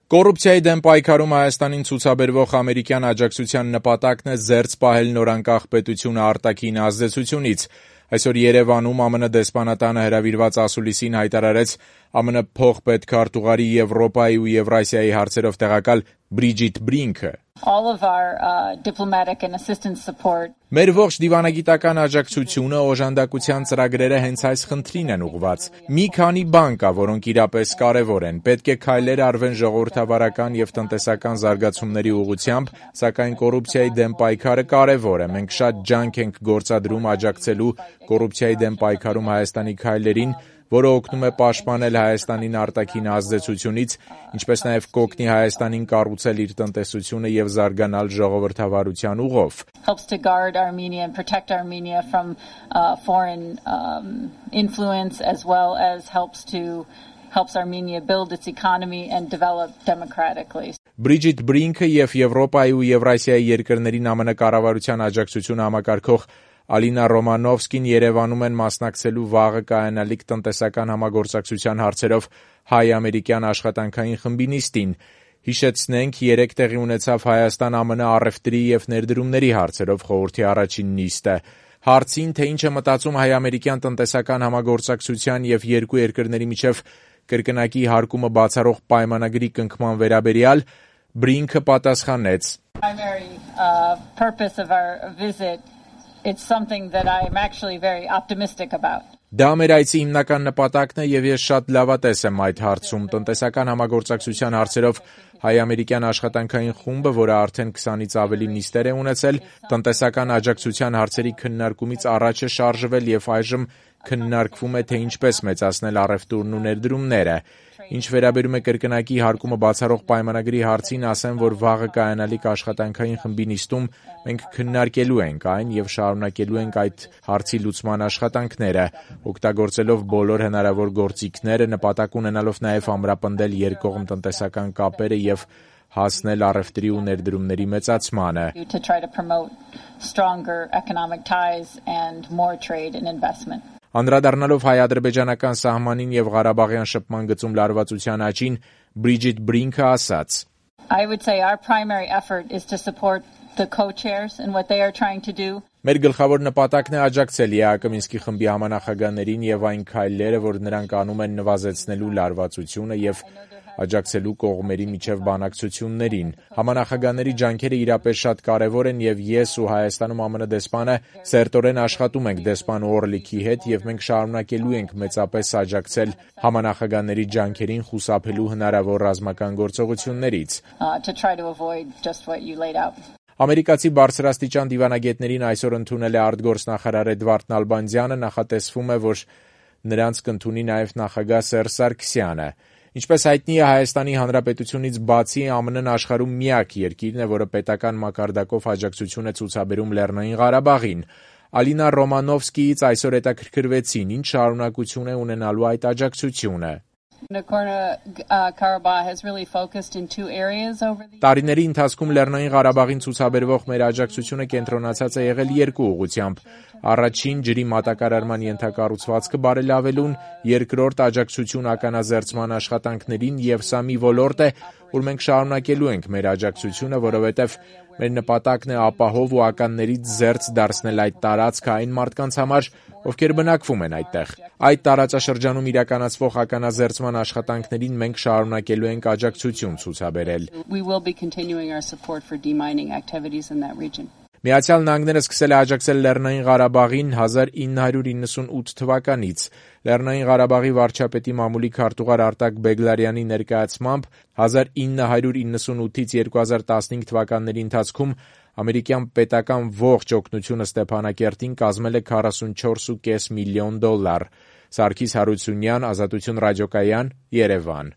Կոռուպցիայի դեմ պայքարում Հայաստանին ցուցաբերվող ամերիկյան աջակցության նպատակն է զերծ պահել նորանկախ պետությունը արտաքին ազդեցությունից։ Այսօր Երևանում ԱՄՆ դեսպանատանը հրավիրված ասուլիսին հայտարարեց ԱՄՆ փոխպետքարտուղարի Եվրոպայի ու Եվրասիայի հարցերով տեղակալ Բրիջիթ Բրինքը։ Մեր ողջ դիվանագիտական աջակցությունը, օժանդակության ծրագրերը հենց այս խնդրին են ուղղված։ Մի քանի բան կա, որոնք իրապես կարևոր են։ Պետք է քայլեր արվեն ժողովրդավարական եւ տնտեսական զարգացումների ուղղությամբ, սակայն կոռուպցիայի դեմ պայքարը կարևոր է։ Մենք շատ ջանք ենք գործադրում աջակցելու կոռուպցիայի դեմ պայքարում Հայաստանի քայլերին, որը օգնում է պաշտպանել Հայաստանին արտաքին ազդեցությունից, ինչպես նաև կօգնի Հայաստանին կառուցել իր տնտեսությունը եւ զարգանալ ժողովրդավարության ուղով։ Բրիջիթ Բրինքը եւ Եվրոպայի ու Եվրասիայի երկրներին ԱՄՆ կառավարության աջակցությունը համակարգող Ալինա Ռոմանովսկին Երևանում են մասնակցելու վաղը կայանալիք տնտեսական համագործակցության հարցերով հայ-ամերիկյան աշխատանքային խմբի նիստին։ Հիշեցնենք, 3 տեղի ունեցավ Հայաստան-ԱՄՆ առևտրի եւ ներդրումների հարցերով խորհրդի առաջին նիստը։ Հարցին, թե ինչ է մտածում հայ-ամերիկյան տնտեսական համագործակցության եւ երկու երկրների միջև կրկնակի հարկումը բացառող պայմանագրի կնքման վերաբերյալ, Բրինքը պատասխանեց. It's something that I'm actually very optimistic about. Դա մեր այցի հիմնական նպատակն է եւ ես շատ լավատես եմ այդ հարցում։ Տնտեսական համագործակցության հարցերով հայ-ամերիկյան աշխատանքային խումբը, որը արդեն 20-ից ավելի նիստեր է ունեցել, տնտեսական աջակցության հարցերի քննարկումից առաջ է շարժվել եւ այժմ քննարկվում է, թե ինչպես մեծացնել առևտուրն ու ներդրումները։ Ինչ վերաբերում է կրկնակի հարկումը բացառող պայմանագրի հարցին, ասեմ, որ վաղը կայանալիք աշխատանքային խմբի նիստում մենք քննարկելու ենք այն եւ շարունակելու ենք այդ հարցի լուծման աշխատանքները, օգտագործելով բոլոր հնարավոր գործիքները, նպատակ ունենալով նաեւ ամրապնդել երկկողմ տնտեսական կապերը եւ հասնել առևտրի ու ներդրումների մեծացմանը։ Անդրադառնալով հայ-ադրբեջանական սահմանին եւ Ղարաբաղյան շփման գծում լարվածության աճին, Բրիջիթ Բրինքը ասաց. I would say our primary effort is to support the co-chairs and what they are trying to do. Մեր գլխավոր նպատակն է աջակցել ԵԱԿ Մինսկի խմբի համանախագահներին եւ այն քայլերը, որ նրանք անում են նվազեցնելու լարվածությունը եւ աջակցելու կողմերի միջև բանակցություններին։ Համանախագահների ջանքերը իրապես շատ կարևոր են եւ ես ու Հայաստանում ԱՄՆ դեսպանը սերտորեն աշխատում ենք դեսպան Օրլիքի հետ եւ մենք շարունակելու ենք մեծապես աջակցել համանախագահների ջանքերին խուսափելու հնարավոր ռազմական գործողություններից։ Ամերիկացի բարձրաստիճան դիվանագետներին այսօր ընդունել է արտգործնախարար Էդվարդ Նալբանդյանը, նախատեսվում է, որ նրանց կընդունի նաեւ նախագահ Սերժ Սարգսյանը։ Ինչպես հայտնի է, Հայաստանի Հանրապետությունից բացի ԱՄՆ-ն աշխարհում միակ երկիրն է, որը պետական մակարդակով աջակցություն է ցուցաբերում Լեռնային Ղարաբաղին։ Ալինա Ռոմանովսկիից այսօր հետաքրքրվեցին, ինչ շարունակություն է ունենալու այդ աջակցությունը։ Տարիների ընթացքում Լեռնային Ղարաբաղին ցուցաբերվող մեր աջակցությունը կենտրոնացած է եղել երկու ուղղությամբ։ Առաջին՝ ջրի մատակարարման ենթակառուցվածքը բարելավելուն, երկրորդ՝ աջակցություն ականազերծման աշխատանքներին, եւ սա մի ոլորտ է, որ մենք շարունակելու ենք մեր աջակցությունը, որովհետեւ մեր նպատակն է ապահով ու ականներից զերծ դարձնել այդ տարածքը այն մարդկանց համար, ովքեր բնակվում են այդտեղ։ Այդ տարածաշրջանում իրականացվող ականազերծման աշխատանքներին մենք շարունակելու ենք աջակցություն ցուցաբերել։ Միացյալ Նահանգները սկսել է աջակցել Լեռնային Ղարաբաղին 1998 թվականից։ Լեռնային Ղարաբաղի վարչապետի մամուլի քարտուղար Արտակ Բեգլարյանի ներկայացմամբ 1998-ից 2015 թվականների ընթացքում ամերիկյան պետական ողջ օգնությունը Ստեփանակերտին կազմել է $44.5 միլիոն։ Սարգիս Հարությունյան, Ազատություն ռադիոկայան, Երևան։